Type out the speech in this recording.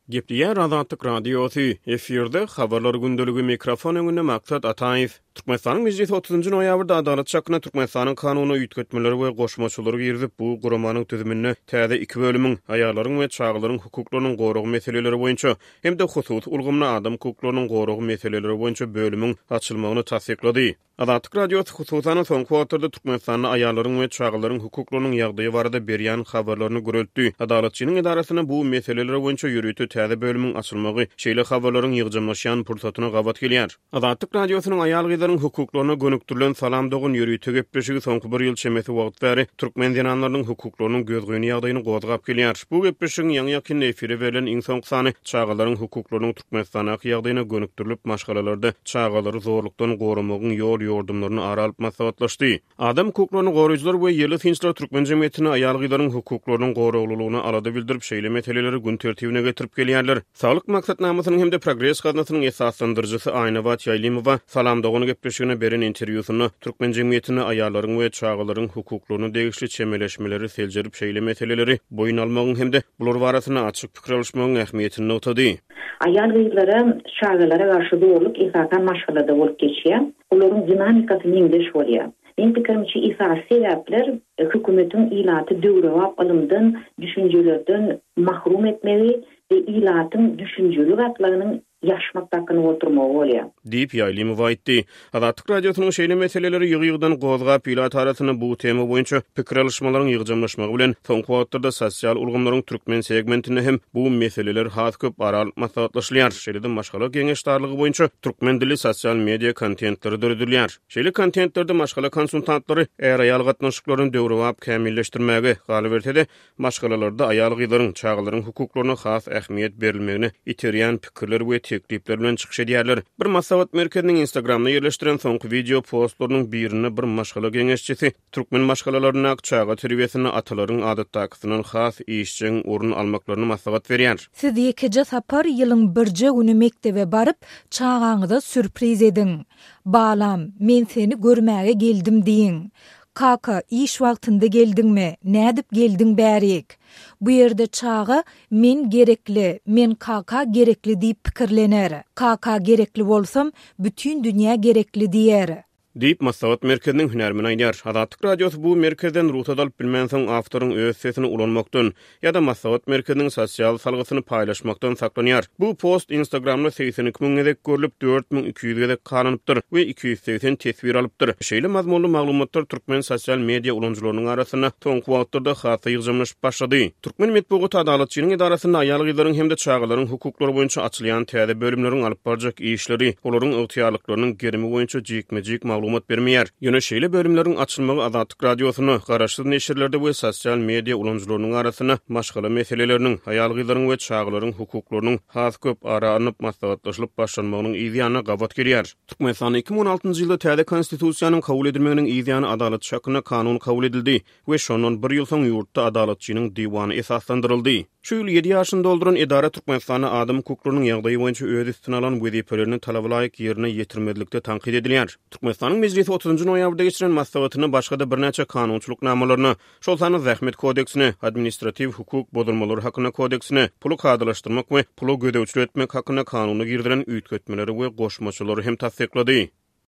Gepleýär Azatlyk Radiosy, efirde Habarlar gündeligi, mikrofon öňünde Maksat Ataýew. Türkmenistanyň Mejlisi otuzynjy noýabrda Adalatçy hakynda Türkmenistanyň Kanunyna üýtgetmeleri we goşmaçalary girizip, bu guramanyň düzüminde täze iki bölümiň, aýallaryň we çagalaryň hukuklarynyň goragy meseleleri boýunça hem-de hususy ulgamda adam hukuklarynyň goragy meseleleri boýunça bölümiň açylmagyny tassyklady. Azatlyk Radiosy, hususan-da, soňky wagtlarda Türkmenistanda aýallaryň we çagalaryň hukuklarynyň ýagdaýy barada berýän habarlaryny güreltdi. Adalatçynyň edarasynda bu meseleler boýunça ýörite täze bölümiň açylmagy şeýle habarlaryň ýygjamlaşýan pursatyna gabat gelýär. Azatlyk Radiosynyň aýal-gyzlaryň hukuklaryna gönükdirilen Salam dogan ýörite gepleşigi soňky bir ýyl çemesi wagt bäri türkmen zenanlarynyň hukuklarynyň gözgyny ýagdaýyny gozgap gelýär. Bu gepleşigiň ýaňy-ýakynda efire berlen iň soňky sany çagalaryň hukuklarynyň Türkmenistandaky ýagdaýyna gönükdirilip, maşgalalarda çagalary zorlukdan goramagyň ýol-ýordumlaryny ara alyp maslahatlaşdy. Adam hukuklaryny goraýjylar we ýerli synçylar türkmen jemgyýetinde aýal-gyzlaryň hukuklarynyň goraglylygyna alada bildirip, şeýle meseleleri gün tertibine getirip gelýärler. Saglyk maksatnamasynyň hem-de Progres gaznasynyň esaslandyryjysy Aýnabat Ýaýlymowa Salam dogan gepleşigine beren interwýusynda türkmen jemgyýetinde aýallaryň we çagalaryň hukuklaryna degişli çemeleşmeleri seljerip, şeýle meseleleri boýun almagyň hem-de bular barasynda açyk pikir alyşmagyň ähmiýetini nygtady. Aýal-gyzlara, çagalara garşy zorluk esasan maşgalada bolup geçýär. Olaryň dinamikasy meňzeş bolýar. Meň pikirimçe esasy sebäpler hökümetiň ilaty döwrebap ylymdan, düşünjelerden mahrum etmegi we ilatyň düşünjeli gatlagynyň ýaşmak dakynyp oturmagy bolýar. Diýip, Ýaýlymowa aýtdy. Azatlyk Radiosynyň şeýle meseleleri ýygy-ýygydan gozgap, ilat arasynda bu tema boýunça pikir alyşmalaryň ýygjamlaşmagy bilen, soňky wagtlarda sosial ulgamlaryň türkmen segmentinde hem bu meseleler has köp ara alyp maslahatlaşylýar, şeýle-de maşgala geňeşdarlygy boýunça türkmen dilli sosial media kontentleri döredilýär. Şeýle kontentlerde maşgala konsultantlary är-aýal gatnaşyklaryny döwrebap kämilleşdirmäge, galyberse-de, Maşgalalarda aýal-gyzlaryň, çagalaryň hukuklaryna has ähmiýet berilmegine iterýän pikirler we teklipler bilen çykyş edýärler. Bir maslahat merkeziniň Instagramda ýerleşdiren soňky wideo postlarynyň birinde bir maşgala geňeşçisi türkmen maşgalalaryndaky çaga terbiýesinde atalaryň adatdakysyndan has işjeň orun almaklaryny maslahat berýär. Siz ýekeje sapar ýylyň birje güni mekdebe baryp, çagaňyza sýurpriz ediň. Balam, men seni görmäge geldim diýiň. Kaka, iş wagtynda geldiňmi, nädip geldiň bärik? Bu ýerde çaga men gerekli, men kaka gerekli diýip pikirlener. Kaka gerekli bolsam, bütin dünýä gerekli diýer. Diýip, maslahat merkeziniň hünärmeni aýdýar. Azatlyk Radiosy bu merkezden rugsat alyp bilmänsoň, awtoryň öz sesini ulanmakdan ýa-da maslahat merkeziniň sosial salgysyny paýlaşmakdan saklanýar. Bu post Instagramda 82 müň gezek görlüp, 4200 gezek halanypdyr we 280 teswir alypdyr. Şeýle mazmunly maglumatlar türkmen sosial media ulanyjylarynyň arasynda soňky wagtlarda has-da ýygjamlaşyp başlady. Türkmen metbugaty Adalatçynyň edarasynda aýal-gyzlaryň hem-de çagalaryň hukuklary boýunça açylýan täze bölümleriň alyp barjak işleri, olaryň ygtyýarlyklarynyň gerimi boýunça jikme-jik maglumat bermeýär. Ýöne şeýle bölümleriň açylmagy Azatlyk Radiosynda, garaşsyz neşirlerde we sosial media ulanyjylarynyň arasynda maşgala meseleleriniň, aýal-gyzlaryň we çagalaryň hukuklarynyň has köp ara alnyp maslahatlaşylyp başlanmagynyň yz ýanyna gabat gelýär. Türkmenistanda 2016-njy ýylda täze Konstitusiýanyň kabul edilmeginiň yz ýany Adalatçy hakynda kanun kabul edildi we şondan bir ýyl soň ýurtda Adalatçynyň diwany esaslandyryldy. Şu ýyl ýedi ýaşyny dolduran edara Türkmenistanda adam hukuklarynyň ýagdaýy boýunça öz üstüne alan wezipelerini talabalaýyk ýerine ýetirmezlikde tankyt edilýär. Türkmenistanyň Mejlisi otuzynjy noýabrda geçiren maslahatynda başga-da birnäçe kanunçylyk namalaryna, şol sanda Zähmet kodeksine, Administratiw hukuk bozulmalary hakynda kodeksine, Puly kadalaşdyrmak we pula gözegçilik etmek hakynda kanuna girizilen üýtgetmeleri we goşmaçalary hem tassyklady.